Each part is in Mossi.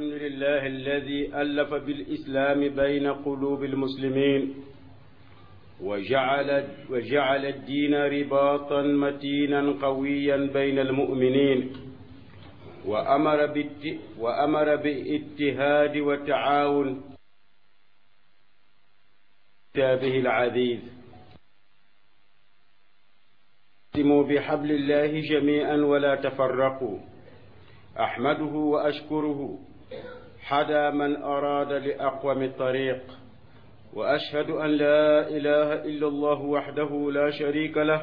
الحمد لله الذي ألف بالإسلام بين قلوب المسلمين وجعل الدين رباطا متينا قويا بين المؤمنين وأمر بالاتهاد والتعاون كتابه العزيز اعتصموا بحبل الله جميعا ولا تفرقوا. أحمده وأشكره حدا من أراد لأقوم الطريق، وأشهد أن لا إله إلا الله وحده لا شريك له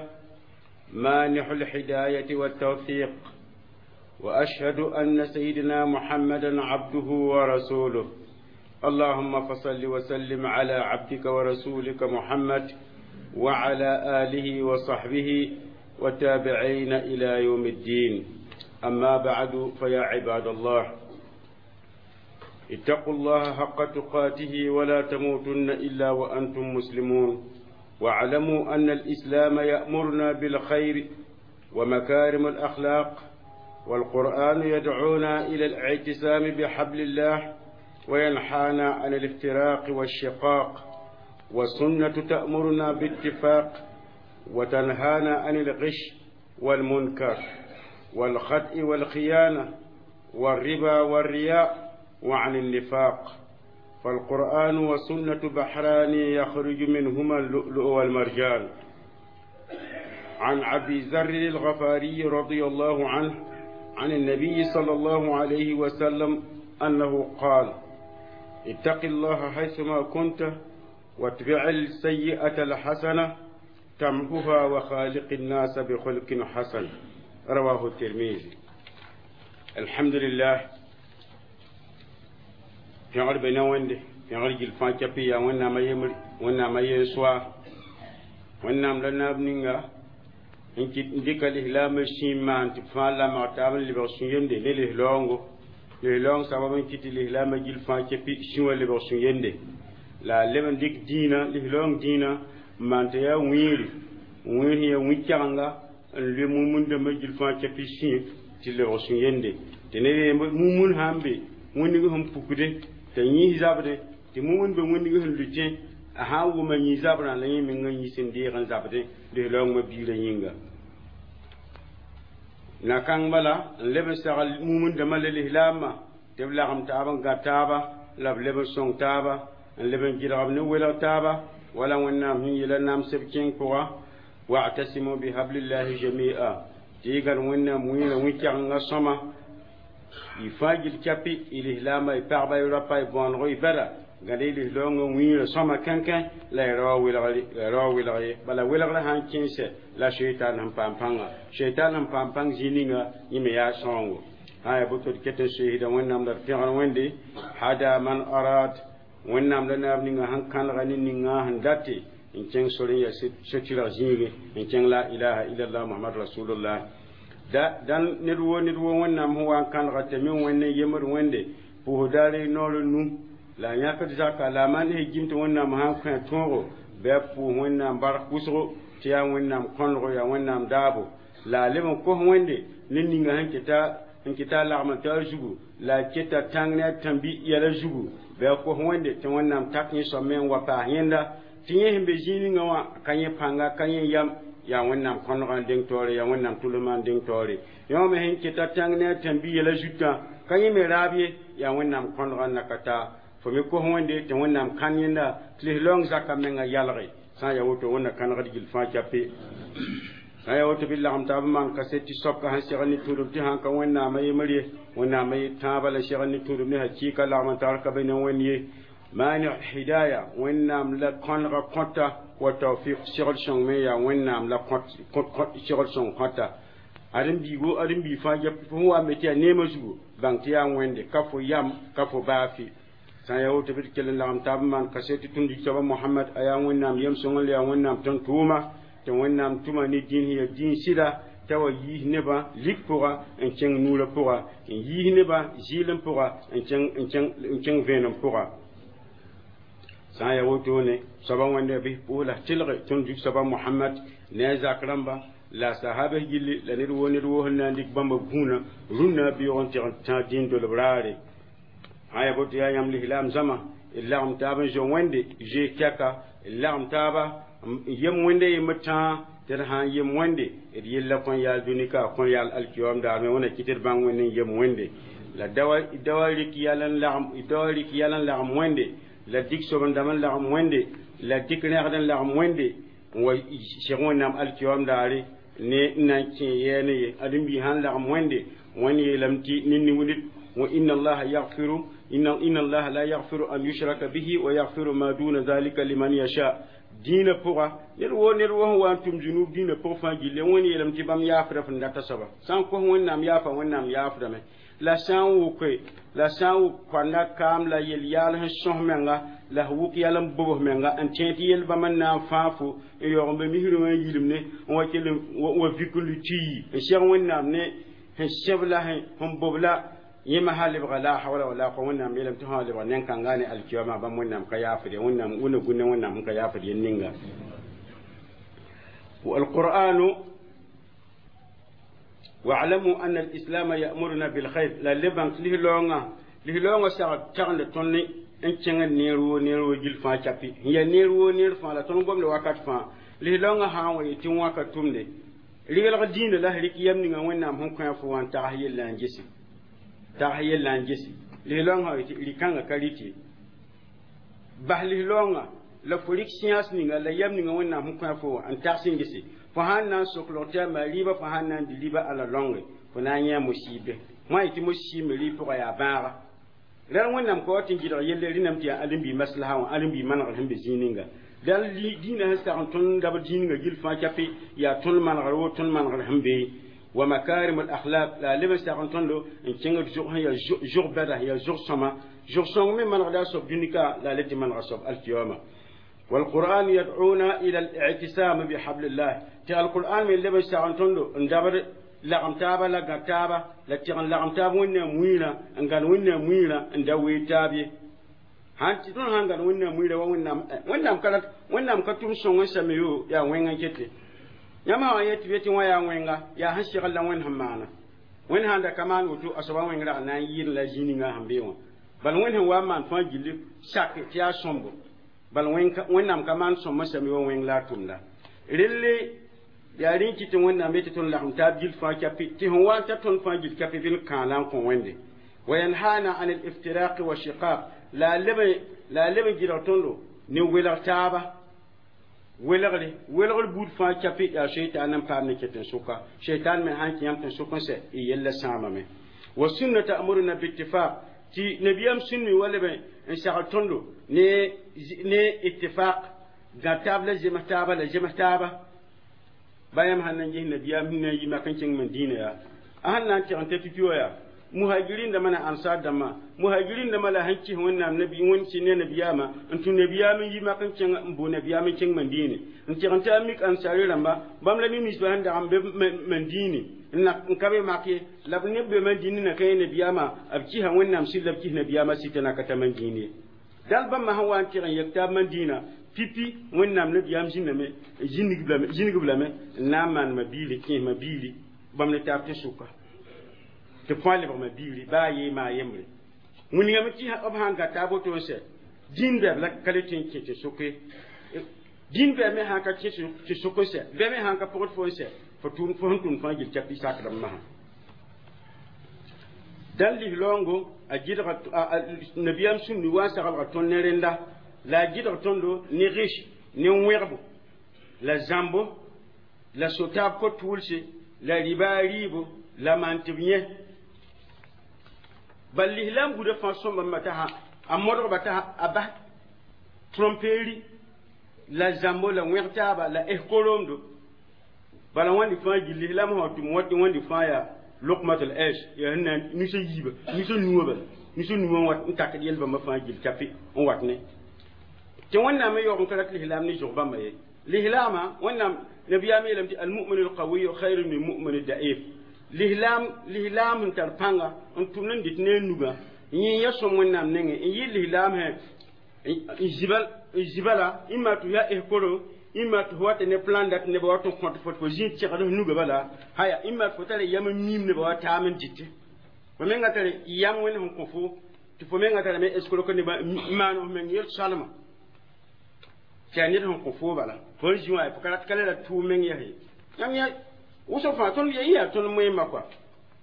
مانح الهداية والتوفيق، وأشهد أن سيدنا محمدا عبده ورسوله. اللهم فصل وسلم على عبدك ورسولك محمد وعلى آله وصحبه وتابعين إلى يوم الدين. أما بعد، فيا عباد الله، اتقوا الله حق تقاته ولا تموتن إلا وأنتم مسلمون، واعلموا أن الإسلام يأمرنا بالخير ومكارم الأخلاق، والقرآن يدعونا إلى الاعتصام بحبل الله وينحانا عن الافتراق والشقاق، والسنة تأمرنا باتفاق وتنهانا عن الغش والمنكر والخدع والخيانة والربا والرياء وعن النفاق. فالقرآن والسنة بحران يخرج منهما اللؤلؤ والمرجان. عن أبي ذر الغفاري رضي الله عنه عن النبي صلى الله عليه وسلم أنه قال: اتق الله حيثما كنت واتبع السيئة الحسنة تمحها وخالق الناس بخلق حسن. رواه الترمذي. الحمد لله. Pẽgr be ne Wẽnde, pẽgr gill fãa kɛpɩ yaa Wẽnnaamã yembre, Wẽnnaamã yen-soa, Wẽnnaam la naab ninga n kɩt n dɩka lislaambã sĩim maan tɩ b fãa lamg taab n lebg sũ-yemde ne lislaoongo. Lislaoong sabab n kɩt tɩ lislaambã gill fãa kɛpɩ sũ wã lebg sũ-yemde, la a leb n dɩk dĩinã, lislaoong dĩinã n maan tɩ yaa wĩiri, wĩir sẽn yaa wĩ-kɛgenga n loe mumund-dãmbã gill fãa kɛpɩ sĩ tɩ lebg sũ-yemde, tɩ ned mumund sã n be wĩndg sẽn pukde t'a yĩs zabde, tɩ mumund be wĩndg sẽn lutẽ, a sã n wʋma yĩ zabrã la yẽ mengã yĩs n deeg n zabdẽ lislaoongmã biirã yĩnga. Na-kãng bala n leb n sagl mumund-dãmbã la lislaambã tɩ b lagem taab n gã taaba, la b leb n sõng taaba, n leb n gɩdg b ne welg taaba, wala Wẽnnaam sẽn yeela namsb kẽng pʋga: wa'tasimu bihablillahi jami'a. Tɩ y gãd Wẽnnaam wĩirã wĩ-kɛgenga sõma, y fãa gill kɛpɩ, y lislaambã, y pagba, y rapa, y bõonego, y bɛda gãd y lislaoongã wĩirã sõma kẽnkẽ, la y ra wa welg ye. Bala welgrã sã n kẽesɛ la sheitan sẽn paam pãnga, sheitan sẽn paam pãng zĩ ninga yẽ me yaa sõngo. Sã yaa boto d ket n soeesda Wẽnnaam la d pẽgr Wẽnde hada man arad. Wẽnnaam la naab ninga sẽn kãnega ne ninga sẽn date n kẽng sor n yaa so-tɩrg zĩigẽ, n kẽng la ilaha illallah Muhammad rasulullah. Da dãn ned woo ned woo Wẽnnaam sẽn wa n kãnega tɩ me Wẽnd n yemd Wẽnde pʋʋs daare noor n nu la a yãkd zaka, la a maan sẽn gim tɩ Wẽnnaam sã n kõ tõogo bɩ a pʋʋs Wẽnnaam bark wʋsgo, tɩ yaa Wẽnnaam kõnego, yaa Wẽnnaam daabo, la a leb n kos Wẽnde ne ninga sẽn kɩta a lagm n ta a zugu, la a keta tãng ne a tãmbi yɛla zugu, bɩ a kos Wẽnde tɩ Wẽnnaam tak yẽ soab me n wa paas yẽnda, tɩ yẽ sẽn be zĩig ninga wã ka yẽ pãnga, ka yẽ yam, yaa Wẽnnaam kõnegã n deng taoore, yaa Wẽnnaam tʋlmã n deng taoore. Yõ me sẽn keta tãng ne a tãmbi yɛla zutã ka yẽ me raab ye, yaa Wẽnnaam kõnegã n na ka taa. Fo me kos Wẽnde tɩ Wẽnnaam kãn yẽnda tɩ lislaoong zakã menga yalge. Sã n yaa woto, Wẽnna kãnegd gill fãa kɛpɩ. Sã n yaa woto, bɩ lagem taab n maan kaset tɩ soabka sẽn segl ne tũudum, tɩ sãn ka Wẽnnaamã yembr ye, Wẽnnaamã ye tãabã la segl ne tũudum ne hakɩɩka lagem n tar ka be ne Wẽnd ye. Maani hidaya, Wẽnnaam la kõnega kõta, wa tawfiq, segl sõng me yaa Wẽnnaam la segl sõng kõta. Ãdem-biigo, ãdem-biig fãa fo sẽn wa n be tɩ yaa neemã zugu, bãng tɩ yaa Wẽnde, ka fo yam, ka fo baafe. Sã n yaa woto, bɩ d kell n lagem taab n maan kaset tɩ tũud soaba Mohamad, a yaa Wẽnnaam yem-sõngr la yaa Wẽnnaam tõnd-tʋʋma, tɩ Wẽnnaam tʋma ne dĩin sẽn yaa dĩin sɩda t'a wa yiis nebã lik pʋga n kẽng nuurã pʋga, n yiis nebã zɩɩlem pʋga n kẽng vẽenem pʋga. Sã n yaa wotone, soaba Wẽnde bɩ pʋʋs la tɩlge tõnd zug-soaba Mohamad ne a zak rãmba la sahaba gilli, la ned woo ned woo sẽn na n dɩk bãmba gũunã rũnnã beoog n tɩg n tã dĩin dolb raare. Sã yaa boto yaa yãmb lislaam zãma d lagem taab n zo Wẽnde zoees tɛka, d lagem taaba n yem Wẽnde yembr tãa, tɩ d sã n yem Wẽnde d yella kõn yaal dũni ka a kõn yaal alkiyoom daar me. Wẽnna kɩt d bãng Wẽnd n yem Wẽnde la dawa rɩk yɛl n lagem, dawa rɩk yɛl n lagem Wẽnde, la dɩk sob-n-dãmb n lagem Wẽnde, la dɩk rẽgd n lagem Wẽnde n wa seg Wẽnnaam alkiyoom daare ne n na n kẽ yɛɛne ye. Ãdem-biig sãn lagem Wẽnde, Wẽnd yeelame tɩ ned wa inna allaha yaghfiru inna allaha la yaghfiru an yushraka bihi wa yaghfiru ma duna dhalika liman yasha. Dĩinã pʋga ned woo ned wo sẽn wa n tʋm zunub dĩinã pʋg fãa gilli, Wẽnd yeelame tɩ bãmb yaafda f n data soaba. Sã n kos Wẽnnaam yaafa, Wẽnnaam yaafdame. La sã n wʋke, la sã n wʋk koanda kaam la yel-yaal sẽn sõs menga, la f wʋk yɛl n bobs menga n tẽ tɩ yel bãmb n na n fãag fo n yaoog n be misrẽ wã n yilimne n wa kell wa vik n lu tɩ yi n seg Wẽnnaam ne sẽn sẽb la sẽn bob la yẽma sã lebga la hawla wala quwwata. Wẽnnaam yeelame tɩ sã lebga nen-kãnga ne alkiyama bãmb Wẽnnaam ka yaafd ye. Wẽnnaam wẽnna gũnna Wẽnnaam sẽn ka yaafd yel ninga. والقرآن واعلموا أن الإسلام يأمرنا بالخير لا لبن لهلونغا لهلونغا ساغ تغند توني n kẽng neer woo neer woo gil fãa capi n yaa neer woo neer fãa la tõnd gomda wakat fãa. Lislaoongã sã n wa yetɩ wãka tʋmde regelg dĩinã la rɩk yam ninga Wẽnnaam sẽn kõ fo wã n tags yella n gese, tags yella n gese. Lislaoongã sã yetɩ rɩ-kãngã ka rɩt ye, bas lislaoongã la fo rɩk science ninga la yam ninga Wẽnnaam sẽn kõ fo wã n tags n gese. Fo sãn na n sok log tɩ a maa rɩɩbã, fo sãn na n dɩ rɩba ala rãnge, fo na n yã musiibe wã yetɩ musiime rɩɩb pʋga yaa bãaga rãl. Wẽnnaam ka wa tɩ n gɩdg yelle rẽndame tɩ yaa ãdem-bi maslaha wã, ãdem-bi manegr sẽn be zĩig ninga. Dal dĩinã sẽn sag n tõnd dabd zĩig ninga gill fãa capi yaa tõnd manegr wo tõnd manegr sẽn be wa makarim al akhlaq la leb n sag n tõndo n kẽngd zʋg sẽn yaa zʋg bɛda, yaa zʋg sõma, zʋg sõng me manegda a soab dũnika la a le tɩ manega soab alkiyama. والقرآن يدعونا إلى الاعتصام بحبل الله تي القرآن من لبن ساغن تندو اندبر lagem taaba la gã taaba la tɩg n lagem taab Wẽnnaam wĩirã n gãn Wẽnnaam wĩirã n da wee taab ye. Sãn tɩ tõnd sãn gãn Wẽnnaam wĩirã wa Wẽnnaam, Wẽnnaam ka rat, Wẽnnaam ka tʋm sõng n same yo yaa wẽng n kete. Yãmb sã wa yet tɩ be tɩ wã yaa wẽnga, yaa sẽn segl la Wẽnd sẽn maana. Wẽnd sãn da ka maan woto, a soaba wẽng rag na n yɩɩd la zĩ ninga sẽn be wã. Bal Wẽnd sẽn wa n maan fãa gilli sak tɩ yaa sõmbo. Bal Wẽnnaam ka maan sõm n same wa wẽng la a tʋmda relle. Yaa rẽ kɩ tɩ Wẽnnaam yetɩ tõnd lagem taab gill fãa capi tɩ sẽn wa n ta tõnd fãa gill capi bɩ n kãala n kõ Wẽnde. Wayanhana an aliftiraqi wa shiqaq la a leb n gɩdg tõndo ne welg taaba, welgre welgr buud fãa capi yaa sheitan n paam ne ket n sʋka. Sheitan me sãn kẽ yãmb tɩ sʋk n sɛ y yella sãamame. Wa sunna ta'muruna bittifaq tɩ nabiyam sũnni wa leb n sagl tõndo ne ittifaq gã taab la zems taaba la zems taaba. Ba yãmb sãn na n ges nabiyaam sẽn na n yi mak n kẽng Madina yaa a sẽn na n tɩg n ta pipi wã yaa muhajirin dãmba na ansar dãmbã. Muhajirin dãmbã la sẽn kɩs Wẽnnaam nabi Wẽnd sɩ ne nabiyaamã n tũ nabiyaam n yi mak n kẽng n boo nabiyaam n kẽng Mandine n tɩg n ta mik ansari rãmba bãmb la neb-ninsbã sẽn dag n be Mandine n ka be mak ye la b neb be Mandine na ka yẽ nabiyaamã b kɩsa Wẽnnaam sɩd la b kɩs nabiyaamã sɩta na ka ta Mandine ye. Dal bãmba sẽn wa n tɩg n yek taab Mandina pipi, Wẽnnaam nabiyaam zĩnname zĩnigb lame n na n maan ma biili kẽesmã biili bãmb ne taab tɩ sʋka tɩ fãa lebgmã biiri baa yee maa yembre wĩnigame tɩ b sãn gata a boto n sɛ dĩin bɛb la ka le tɩ n kẽ tɩ sʋke dĩin bɛb me sãn ka kẽ tɩ sʋk n sɛ bɛ me sãn ka pʋgd fo n sɛ fo tʋʋm fo sẽn tʋm fãa gil capi sakdb masã. Dãn lislaoongo a gɩdga nabiyaam sũnni wa n saglga tõnd ne rẽnda la a gɩdg tõndo ne rɩs ne wẽgbo la zãmbo la sotaab ko-tʋʋlse la rɩba a rɩɩbo la maan tɩ b yẽ. Bal lislaam buda fãa sõmbãmba t'a a modgba t'a a bas tromperie la zãmbo la wẽg taaba la eskoromdo. Bala wãndi fãa gil lislaam sã tʋm wat wãndi fãa yaa luqmatul aish yaa sẽn na nusa yiiba nusa nuwã bala nusa nuwã wat n takd yel bãmba fãa gil capi n wat ne tɩ Wẽnnaam me yaoog n ka rat lislaam ne zʋg bãmba ye. Lislaamã Wẽnnaam nabiyaam yeelame tɩ almumin alqawiyu khayrun min mumin daif. Lislaam lislaam sẽn tar pãnga n tʋmd n dɩt ne a nugã yẽ ya sõm Wẽnnaam nengẽ n yɩ lislaam sẽ n zibã la ĩma tɩ yaa eskoro ĩma tɩ fo wa tɩ ne plan dat nebã wa tɩ n kõt fo tɩ fo zĩ tẽgd f nugã bala haya ĩma tɩ fo tara yam n miim nebã wa taam n dɩte fo menga tare yam Wẽnd sẽn kõ fo. Tɩ fo menga tarame escroc nebã n maan f meng yel soalma tɩ yaa ned sẽn kõ foo bala fo n zĩ wã fo ka rat ka le ra tʋʋm meng yaa ye yãmb yã wʋsg fãa tõnd yaa tõnd moẽmã kɔa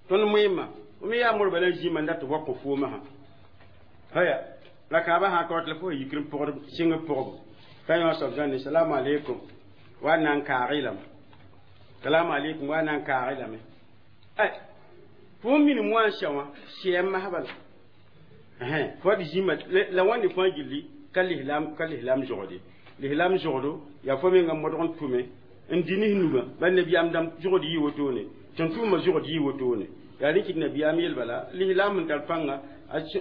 tõnd moẽmã me yaa mor bala n zĩma n dat tɩ wa kõ foomã sã haya la kãabã sã ka wat la fo yikr n pʋgd sɩng pʋgbo ka yõ soab zãnde salamu aleykum wa na n kaag-y lame salamu aleykum wa na n kaag-y lame ay fo minim wã n sɛ wã sɛɛm masã bala fo d zĩma la wãnde fãa gilli ka lislam zogde lislam zogdo yaa fo menga modg n tʋme n dɩ ne nugã ba nabiyaam dãmb zogd yɩ wotone tɩ n tʋʋmã zogd yɩ wotone yaa rẽ kɩt nabiyaam yel bala lislam sẽn tar pãnga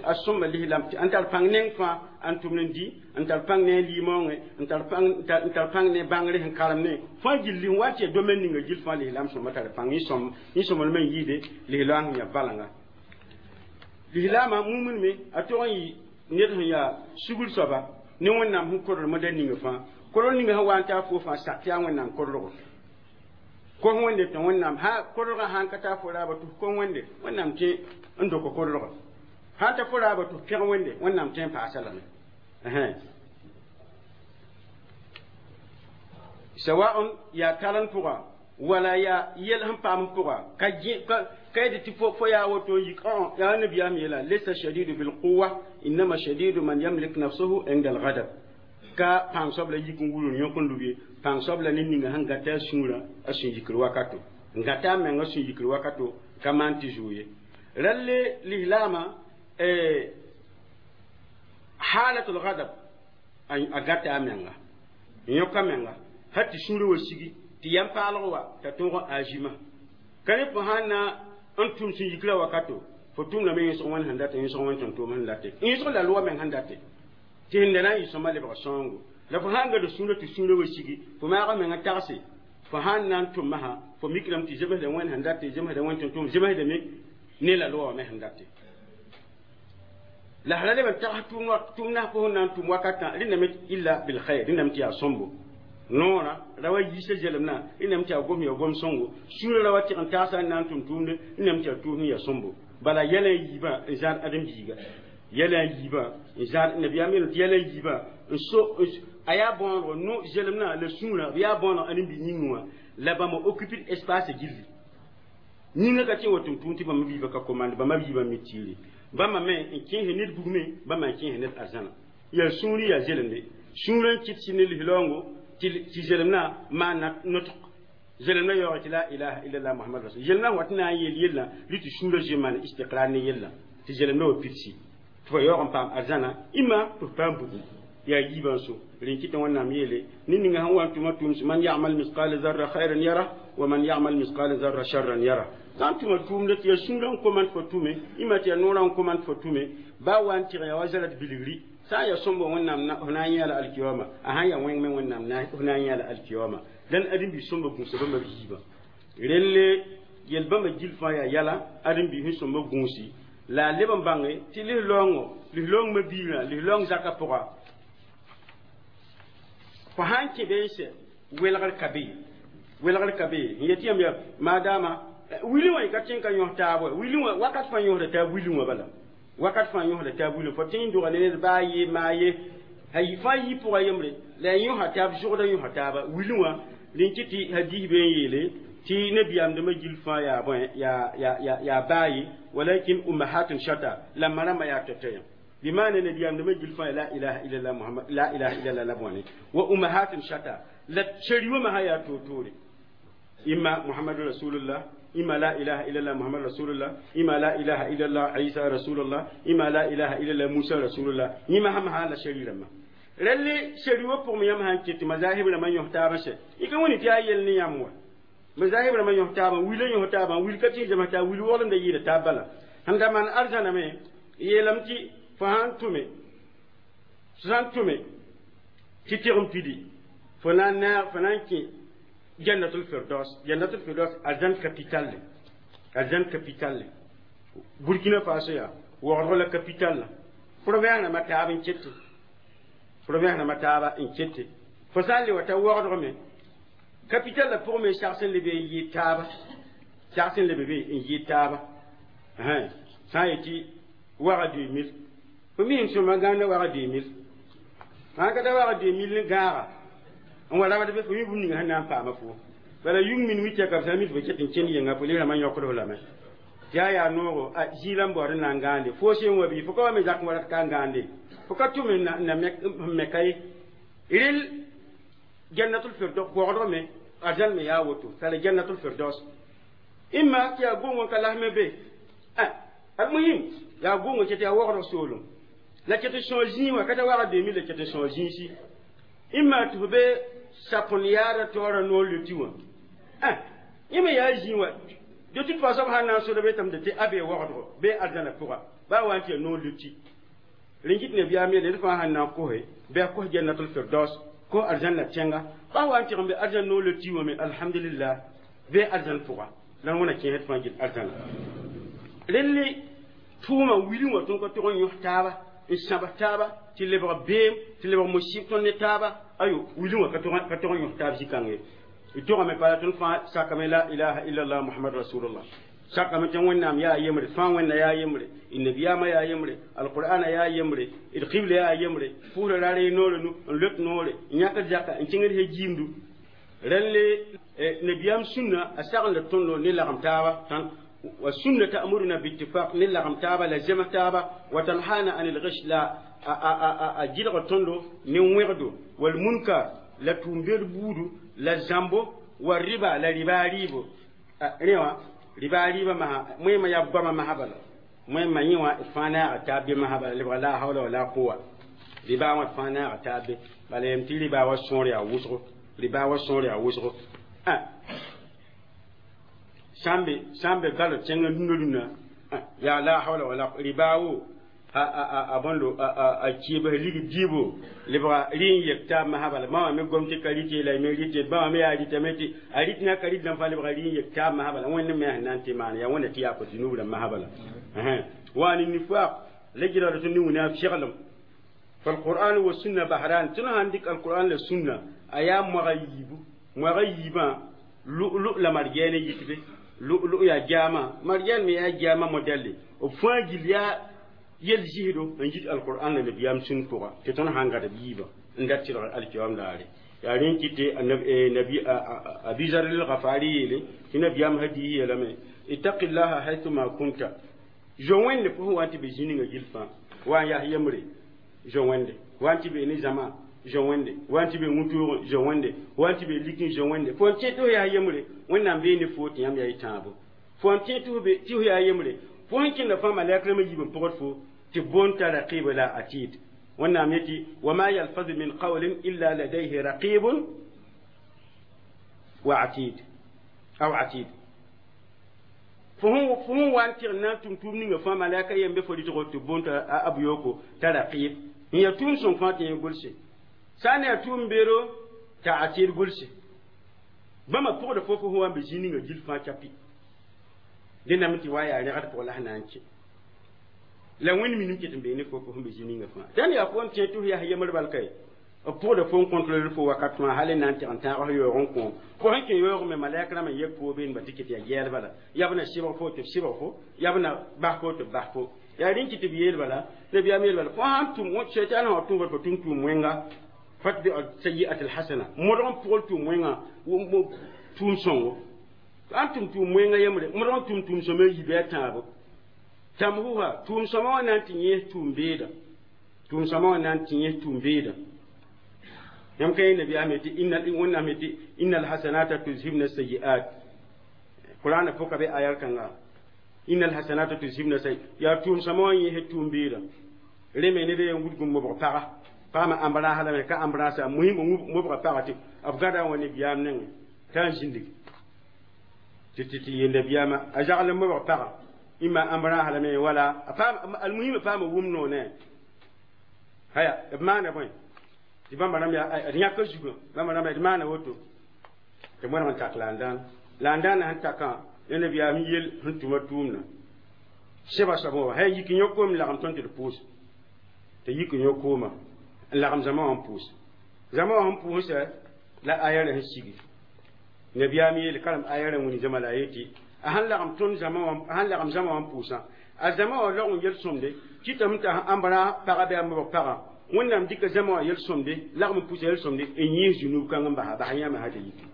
a sõmba lislam n tar pãng neng fãa n tʋmd n dɩ n tar pãng ne a limaoongẽ n tar pãng ne bãngre sẽn karem ne fãa gilli n wa tɩ ya domaine ninga gill fãa lislam sõmba tar pãng yẽ sõmblmã n yɩɩde lislam sẽn ya valanga lislaamã mumn me a tog n yɩ ned sẽn yaa sugr soaba ne Wẽnnaam sẽn koremda ninga fãa korg ninga sẽn wa n taa fo fãa sak tɩ yaa Wẽnnaam korgo kos Wẽnde tɩ Wẽnnaam korgã sãn ka taa fo raaba tɩ f kos Wẽnde Wẽnnaam tẽ n dok korgã sãn ta fo raaba tɩ f pẽg Wẽnde Wẽnnaam tẽ n paasa lame sawa'un yaa taren pʋga wala yaa yɛl sẽn paam pʋga ka ka tɩ fo yaa woto yik yaa nabiyaam yeela laysa shadidu bilquwa innama shadidu man yamlik nafsuhu inda alghadab ka pãng soab la yik n wul n yõk n lub ye pãng soab la ne ninga sẽn gata a sũurã a sũ-yikr wakato n gata a menga sũ-yikr wakato ka maan tɩ zuu ye ralle lislaamã halatul ghadab a gata a menga n yõk a menga har tɩ sũurã wa sigi tɩ yãm paalg wa t'a tõog n agima ka ne fo sãn na n tʋm sũ-yikrã wakato fo tʋmdame yẽsg wẽnd sẽn date yẽsg wẽnd tʋm tʋʋm sẽn date yẽsg la loa meng sẽn date tɩ sẽn da na n yɩ sõma lebg sõongo la fo sãn gad sũurã tɩ sũurã wa sigi fo maag menga tagse fo sãn na n tʋm masã fo mikrame tɩ zemsda wẽnd sẽn date zemsda wẽnd tʋm tʋʋm zemsdame ne la loa wã me sẽn date la sã leb n tags tʋʋm nas fo sẽn na n tʋm wakatã rẽndame illa bilkhair rẽndame tɩ yaa sõmbo noora ra wa yiisa zelemnã rẽndame tɩ yaa gom ya gom sõngo sũurã ra wa tɩg n tagsa n na n tʋm tʋʋmde rẽndame tɩ yaa tʋʋsm ya sõmbo bala yɛlã n yiibã n zãad ãdem-biiga yɛlã n yiibã n zãad nabiyaam yeelame tɩ yɛlã n yiibã n so a yaa bõodgo no zelemnã la sũurã b yaa bõoneg ãdem-biig yĩngẽ wã la bãmba occupe espace gilli yĩngã ka tɩ n wa tʋm tʋʋm tɩ bãmba biibã ka komande bãmba biibã mi tiire bãmba me n kẽes ned bugme bãmba n kẽes ned arzãna yaa sũuri yaa zelemde sũurã n kɩt sɩ ne lislaoongo tɩ zelemnã maan notg zelemnã yaoog tɩ la ilaha illallah muhammad rasul zelemnã wat na n yeel yellã rɩ tɩ sũurã zoe maan istiqrar ne yellã tɩ zelemnã wa pidsi tɩ fa yaoog n paam arzãna ɩma tɩ f paam bugum yaa yiibã n so rẽn kɩtã Wẽnnaam yeele ne ninga sẽn wa n tʋma tʋʋms man ya'mal misqala zarra khayran yara wa man ya'mal misqala zarra sharran yara sã n tʋma tʋʋmda tɩ yaa sũurã n koman fo tʋme ɩma tɩ yaa noorã n koman fo tʋme baa wa n tɩg yaa wa zarat bilgri sã n yaa sõmbo Wẽnnaam f na n yãa la alkiyama a sãn yaa wẽng me Wẽnnaam f na n yãa la alkiyama dãn ãdem-biis sõmba gũusa bãmba b yiibã relle yel bãmba gill fãa yaa yɛla ãdem-biis sẽn sõmba gũusi la a leb n bãnge tɩ lislaoongo lislaoong ma-biigã lislaoong zakã pʋga fo sãn kẽ be n sɛ welgr ka be welgr ka be n yetɩ yãmb yaa maadaama wilẽ wã ka tẽ n ka yõs taab wa wilẽ wã wakat fãa yõsda taab wilẽ wã bala wakat fãa yõsda taab wilẽ fo tẽ n doga ne ned baa ye maa ye fãa yi pʋga yembre la a yõsa taab zogda yõsa taaba wilẽ wã rẽn kɩ tɩ hadis be n yeele tɩ nabiyaamdãmã gill fãa yaa bõe yaa baa ye walakin ummahatun shata la ma rãmbã yaa tɔtɔ yã بمعنى نبي أمد مجل فا لا إله إلا الله محمد لا إله إلا الله لبواني وأمهات شتى لا شريو ما هي توتوري إما محمد رسول الله إما لا إله إلا الله محمد رسول الله إما لا إله إلا الله عيسى رسول الله إما لا إله إلا الله موسى رسول الله إما هم هذا شرير ما رلي شريو بوم يم هان كت مذاهب لما يهتابش يكون تيا يلني يموا مذاهب لما يهتابا ويل يهتابا ويل كتير جماعة ويل ولم ده يتابلا عندما أرجعنا مي يلمتي fo sãn tʋme sãn tʋme tɩ tɩg n pidi fo na n naag fo na n kẽ jannatul firdaus jannatul firdaus arzãn capital le arzãn capital le Burkina Faso yaa waoodg la capital la province rãmbã taab n kete province rãmbã taaba n kete fo sã n le wa ta waoodg me capital la pʋgẽ me sags n lebe n yɩ taaba sags n lebe be n yɩ taaba sã n yetɩ waga 2000 Fo mi n sõma gãanda wag 2000 sã n ka ta wag 2000 ne gãaga n wa rabd be fo mi bũmb ninga sẽn na n paama fo bala yung min wi tɛka b sã n mi tɩ fo ket n kẽnd yenga fo rãmbã yõkd f lame tɩ yaa yaa noogo a zĩig n baood n na n gãande fo sẽn wa bɩ fo ka wa me zak n wa rat ka n gãande fo ka tʋm n na me ka ye rel jannatul firdaus pɔgdgame arzãn me yaa woto tara jannatul firdaus imma tɩ yaa gʋng n ka lasme be almuhim yaa gʋng tɩ yaa wogdg soolem la ket n sõo zĩig wã ka ta wag 2000 la ket n sõo zĩisi imma tɩ fo be sapõn yaada taoora noor le tɩ wã yẽ me yaa zĩig wã de toute façon b sãn na n sod be tame tɩ a bee wogdgo bee arzãna pʋga baa wa n tɩ yaa noor le tɩ rẽn kɩt nabiyaam yeele d fãa sãn na n kose bɩ a kos jannatul firdaus ko arzãn la tẽnga baa wa n tɩg n be arzãn noor le tɩ wã me alhamdulillah bee arzãn pʋga la n wẽna kẽesd fãa gil arzãna relle tʋʋmã wilẽ wã tõnd ka tog n yõs taaba n sãbs taaba tɩ lebg beem tɩ lebg musib tõnd ne taaba ayo wilẽ wã ka tog n yõs taab zĩ-kãng ye d togame bala tõnd fãa sakame la ilaha illallah muhammad rasulullah sakame tɩ wẽnnaam yaa yembre fãa wẽnna yaa yembre d nabiyaamã yaa yembre alqur'ana yaa yembre d qibla yaa yembre pʋʋsra ra ree noore nu n lot noore n yãkd zaka n kẽngd he jiimdu rẽnd nabiyaam sũnna a sagend la tõndo ne lagem taaba والسنة تأمرنا باتفاق نلغم تابا لزمة تابا وتنهانا عن الغش لا أجيل تندو نوغدو والمنكر لا تنبير بودو لا زامبو والربا لا ربا ريبو ريوا ربا ريبا ما مهم يبقى ما هبل مهم يوا فانا تابي ما هبل لا حول ولا قوة ربا ما فانا تابي بل يمتي ربا وسوريا وسرو ربا وسوريا وسرو sambe sambe galo tẽngã rũndã rũndã yaa la hawla wala riba wo a bõndo a kiibs lig diibo lebga rɩ n yek taab masã bala bãmba me gom tɩ ka rɩte la me rɩte bãmba me yaa rɩtame tɩ a rɩt na ka rɩt dãmb fãa lebga rɩ n yek taab masã bala wẽnd me sẽn na n tɩ maan yaa wẽnda tɩ yaa kõ zunub rãmb masã bala wa ne nifaq la gɩlgd tõnd ne wĩna fɛglem فالقرآن والسنة بحران تنها عندك القرآن والسنة أيام مغيب مغيبا لؤلؤ لمرجان يتبه lu'lu yaa jaama marjan me yaa jaama modɛlle b fãa gill yaa yel zisdo n yit alqur'an la nabiyaam sũn pʋga tɩ tõnd sãn gad b yiibã n dat tɩlg alkiyoam daare yaa rẽn kɩ tɩ nabi abizar lgafari yeele tɩ nabiyaam hadiis yeelame ittaqillaha haythuma kunta zo wẽnde pʋsẽ wa n tɩ be zĩ ninga gill fãa wa n yaa yembre zo wẽnde wa n tɩ be ne zãma zo wẽnde wa n tɩ be wũtoogẽ zo wẽnde wa n tɩ be likẽ zo wẽnde fo n tẽ tɩ f yaa yembre wẽnnaam bee ne fo tɩ yãmb yaa y tãabo fo n tẽ tɩ f yaa yembre fo sẽn kẽnda fãa malɛk rãmbã yiib n pʋgd fo tɩ boon t'a raqiba la atid wẽnnaam yetɩ wama yalfaz min qawlin illa ladayhi raqibun wa atid aw atid fo sẽn wa n tɩg n na n tʋm tʋʋm ninga fãa malɛka yem be fo rɩtgo tɩ boon t'a ab yooko t'a raqib n yaa tʋʋm sõng fãa tɩ yẽ gʋlse sã n yaa tʋʋm beero t'a atid gʋlse bãmba pʋgda fo fo wa n be zĩ ninga gill fãa chapi dẽname tɩ wa yaa rẽgd pʋgã la sẽn na n kẽ la wẽnd minim ket n bee ne fo fo sẽn be zĩ ninga fãa dãn yaa fo n tẽ tɩ f yaa yemr bal kae b pʋgda fo n contrôler fo wakat fãa hal n na n tɩg n tãag f yaoog n kõom fo sẽn kẽ yaoog me malɛk rãmb n yek fo been ba tɩ ket yaa gɛɛl bala yaa b na sɩbg fo tɩ b sɩbg fo yaa b na bas fo tɩ b bas fo yaa rẽn kɩ tɩ b yeel bala nabiyaam yeel bala fo sãn tʋm shaitan sã tʋm fo tʋm tʋʋm wẽnga fatbi sayi'at alhasana modg n pʋgl tʋʋm wẽnga tʋʋm sõngo an tʋm tʋʋm wẽnga yembre modg n tʋm tʋʋm sõma yi bɩ a tãabo tamhuha tʋʋm sõma wã na n tɩ yẽes tʋʋm beeda tʋʋm sõma wã na n tɩ yẽes tʋʋm beeda yãmb ka yẽ nabiyaam yetɩ wẽnnaam yetɩ inna alhasanata tuzhibna sayi'at qur'ana pʋka be ayar kãnga inna alhasanata tuzhibna sayi yaa tʋʋm sõma wã yẽes tʋʋm beeda rẽ me ned yen wudg n mobg paga paama ambra halame ka ambra sa muhim mobga paga tɩ b gada wã ne biyaam nengẽ t'a n zĩndig tɩ tɩ yella biyaama a zagl n mobg paga ima ambra halame wala almuhim paama wʋm noone haya b maana bõe tɩ bãmba rãmb yaa d yãka zugã bãmba rãmba d maana woto tɩ mõneg n tak laandaan laandaana sẽn takã ya nabiyaam yel sẽn tʋma tʋʋmdã sɛba soab wã hay yik yõ koom lagem tõnd tɩ d pʋʋs tɩ yik yõ kooma n lagem zãma wã n pʋʋs zãma wã sẽn pʋʋsã la aya rẽ sẽn sigi nabiyaam yeel karem aya rẽ wĩni zãma la a yetɩ a sẽn lagem tõnd zãma wã a sẽn lagem zãma wã n pʋʋsã A zãma wã log n yel-sõmde kɩtame t'a ãmbrã pagã bɩ a mobg pagã, Wẽnnaam dɩka zãma wã yel-sõmde lagm n pʋsa yel-sõmde n yẽes zũnub kãng n basa bas yãmba sã tɩ yiki.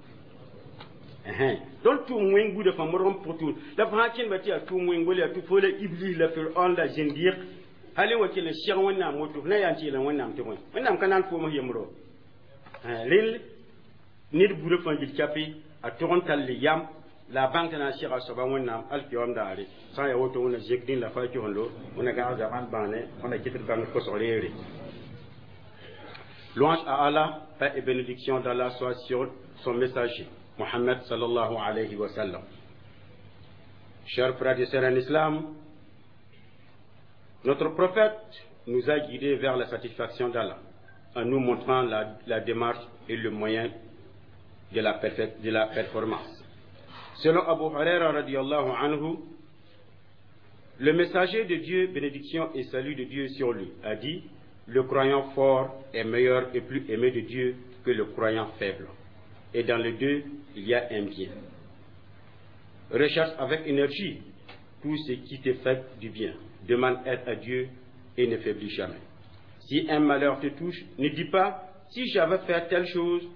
Tõnd tʋʋm wẽng buudã fãa modg n pʋg tʋʋm la fo sã kẽndba tɩ yaa tʋʋm wẽng wala yaa tɩ fo la Iblis la Firaon la zĩndiq hal n wa kell n seg Wẽnnaam woto, f na yaa n tɩ yeela Wẽnnaam tɩ bõe? Wẽnnaam ka naan foom yembro. Rel ned buudã fãa gil kape a tog n tall yam la a bãng tɩ na n sega a soaba Wẽnnaam alkiyoom daare. Sã n yaa woto, Wẽnna zek dĩn la fa kɩsendo, Wẽnna gãag zaban bãane, Wẽnna kɩt d bãng kosg reere. Louange à Allah, paix et bénédiction d'Allah soit sur son messager, Mohammed صلى الله عليه وسلم. Chers frères et sœurs en islam, notre prophète nous a guidés vers la satisfaction d'Allah en nous montrant la démarche et le moyen de la performance. Selon Abu Huraira رضي الله عنه, le messager de Dieu, bénédiction et salut de Dieu sur lui, a dit: «Le croyant fort est meilleur et plus aimé de Dieu que le croyant faible. Et dans les deux, il y a un bien. Recherche avec énergie tout ce qui te fait du bien. Demande aide à Dieu et ne faiblis jamais. Si un malheur te touche, ne dis pas: si j'avais fait telle chose,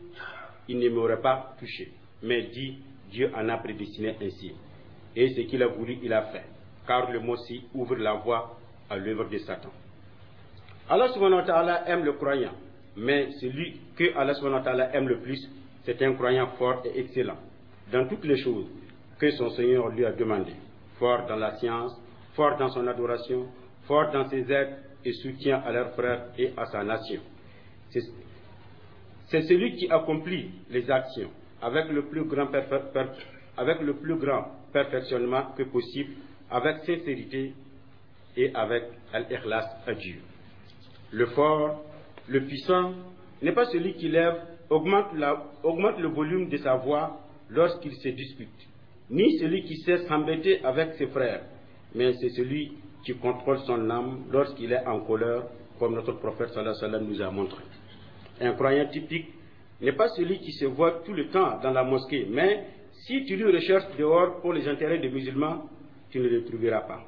il ne m'aurait pas touché. Mais dis: Dieu en a prédestiné ainsi. Et ce qu'il a voulu, il a fait.» Car le mot si ouvre la voie à l'œuvre de Satan. Allah سبحانه وتعالى aime le croyant, mais celui que Allah سبحانه وتعالى aime le plus, c'est un croyant fort et excellent dans toutes les choses que son Seigneur lui a demandé. Fort dans la science, fort dans son adoration, fort dans ses aides et soutien à leurs frères et à sa nation. C'est celui qui accomplit les actions avec le plus grand perfectionnement que possible, avec sincérité et avec الإخلاص à Dieu. Le fort, le puissant, n'est pas celui qui lève, augmente le volume de sa voix lorsqu'il se dispute, ni celui qui sait s'embêter avec ses frères, mais c'est celui qui contrôle son âme lorsqu'il est en colère, comme notre prophète صلى الله عليه وسلم nous a montré. Un croyant typique n'est pas celui qui se voit tout le temps dans la mosquée, mais si tu lui recherches dehors pour les intérêts des musulmans, tu ne le trouveras pas.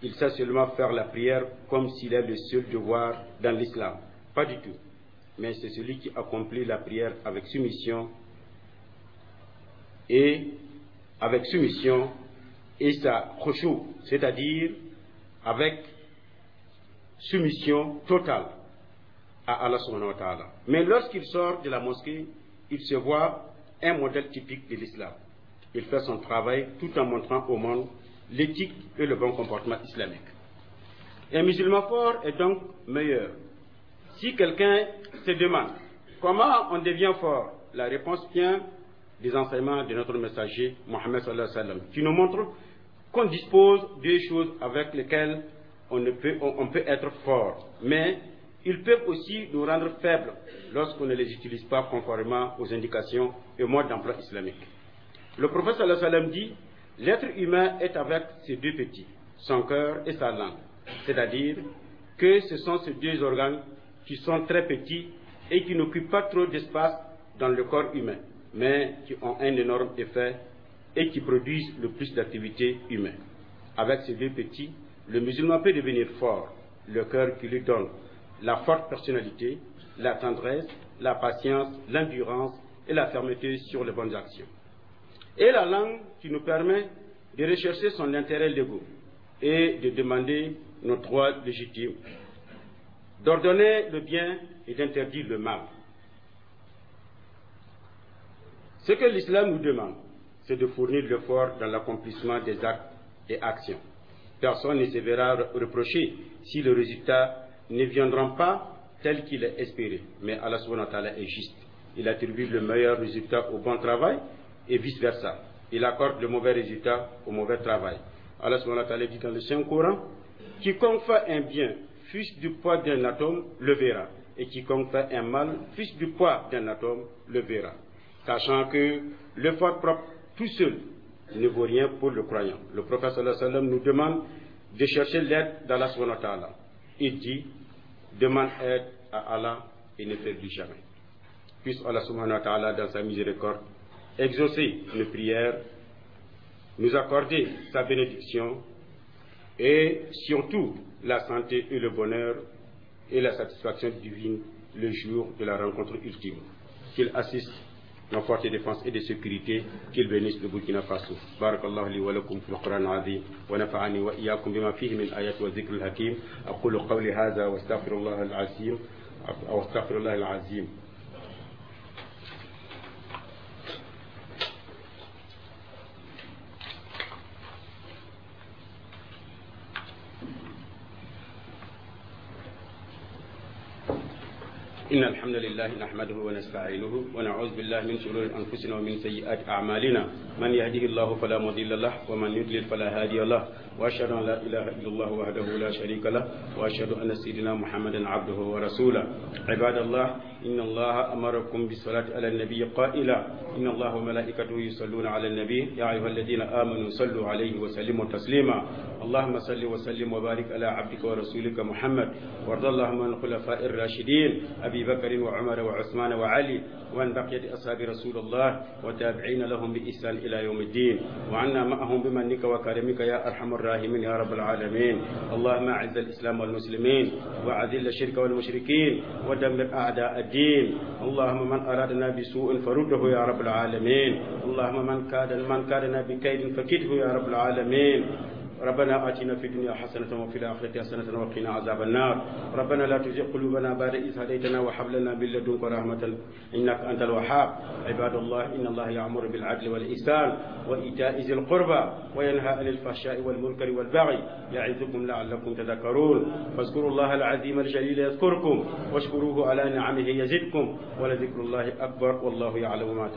Il sait seulement faire la prière comme s'il est le seul devoir dans l'islam. Pas du tout. Mais c'est celui qui accomplit la prière avec soumission et sa خشوع, c'est-à-dire avec soumission totale à Allah سبحانه وتعالى. Mais lorsqu'il sort de la mosquée, il se voit un modèle typique de l'islam. Il fait son travail tout en montrant au monde l'éthique et le bon comportement islamique. Un musulman fort est donc meilleur. Si quelqu'un se demande comment on devient fort, la réponse vient des enseignements de notre messager Mohammed صلى الله عليه وسلم, qui nous montre qu'on dispose de choses avec lesquelles on, ne peut, on peut être fort, mais ils peuvent aussi nous rendre faibles lorsqu'on ne les utilise pas conformément aux indications et modes d'emploi islamiques. Le prophète صلى الله عليه وسلم dit: «L'être humain est avec ses deux petits, son cœur et sa langue.» C'est-à-dire que ce sont ces deux organes qui sont très petits et qui n'occupent pas trop d'espace dans le corps humain, mais qui ont un énorme effet et qui produisent le plus d'activité humaine. Avec ces deux petits, le musulman peut devenir fort, le cœur qui lui donne la forte personnalité, la tendresse, la patience, l'endurance et la fermeté sur les bonnes actions. Et la langue qui nous permet de rechercher son intérêt légaux et de demander nos droits légitimes, d'ordonner le bien et d'interdire le mal. Ce que l'islam nous demande, c'est de fournir l'effort dans l'accomplissement des actes et actions. Personne ne se verra reprocher si le résultat ne viendra pas tel qu'il est espéré. Mais Allah سبحانه وتعالى est juste. Il attribue le meilleur résultat au bon travail et vice-versa. Il accorde le mauvais résultat au mauvais travail. Allah سبحانه وتعالى dit dans le Saint-Coran: «Quiconque fait un bien, fût-ce du poids d'un atome, le verra. Et quiconque fait un mal, fût-ce du poids d'un atome, le verra.» Sachant que l'effort propre tout seul ne vaut rien pour le croyant. Le prophète صلى الله عليه وسلم nous demande de chercher l'aide d'Allah سبحانه وتعالى. Il dit: «Demande aide à Allah et ne faiblis jamais.» Puisse Allah سبحانه وتعالى, dans sa miséricorde, exaucer nos prières, nous accorder sa bénédiction. Et surtout la santé et le bonheur et la satisfaction divine le jour de la rencontre ultime. Qu'il assiste nos forces de défense et de sécurité, qu'il bénisse le Burkina Faso. بارك الله لي ولكم في القرآن العظيم ونفعني وإياكم بما فيه من آيات والذكر الحكيم. أقول قولي هذا واستغفر الله العظيم أو استغفر الله العظيم. إن الحمد لله نحمده ونستعينه ونعوذ بالله من شرور أنفسنا ومن سيئات أعمالنا. من يهده الله فلا مضل له ومن يضلل فلا هادي له، وأشهد أن لا إله إلا الله وحده لا شريك له، وأشهد أن سيدنا محمدا عبده ورسوله. عباد الله، إن الله أمركم بالصلاة على النبي قائلا: إن الله وملائكته يصلون على النبي يا أيها الذين آمنوا صلوا عليه وسلموا تسليما. اللهم صل وسلم وبارك على عبدك ورسولك محمد، وارض اللهم عن الخلفاء الراشدين أبي بكر وعمر وعثمان وعلي وعن بقية أصحاب رسول الله وتابعين لهم بإحسان إلى يوم الدين، وعنا معهم بمنك وكرمك يا أرحم الراحمين يا رب العالمين. اللهم أعز الإسلام والمسلمين، وأذل الشرك والمشركين، ودمر أعداء الدين. اللهم من أرادنا بسوء فرده يا رب العالمين. اللهم من كادنا بكيد فكده يا رب العالمين. ربنا آتنا في الدنيا حسنة وفي الآخرة حسنة وقنا عذاب النار. ربنا لا تزغ قلوبنا بعد إذ هديتنا وهب لنا من لدنك رحمة إنك أنت الوهاب. عباد الله، إن الله يأمر بالعدل والإحسان وإيتاء ذي القربى وينهى عن الفحشاء والمنكر والبغي يعظكم لعلكم تذكرون. فاذكروا الله العظيم الجليل يذكركم، واشكروه على نعمه يزدكم، ولذكر الله أكبر، والله يعلم ما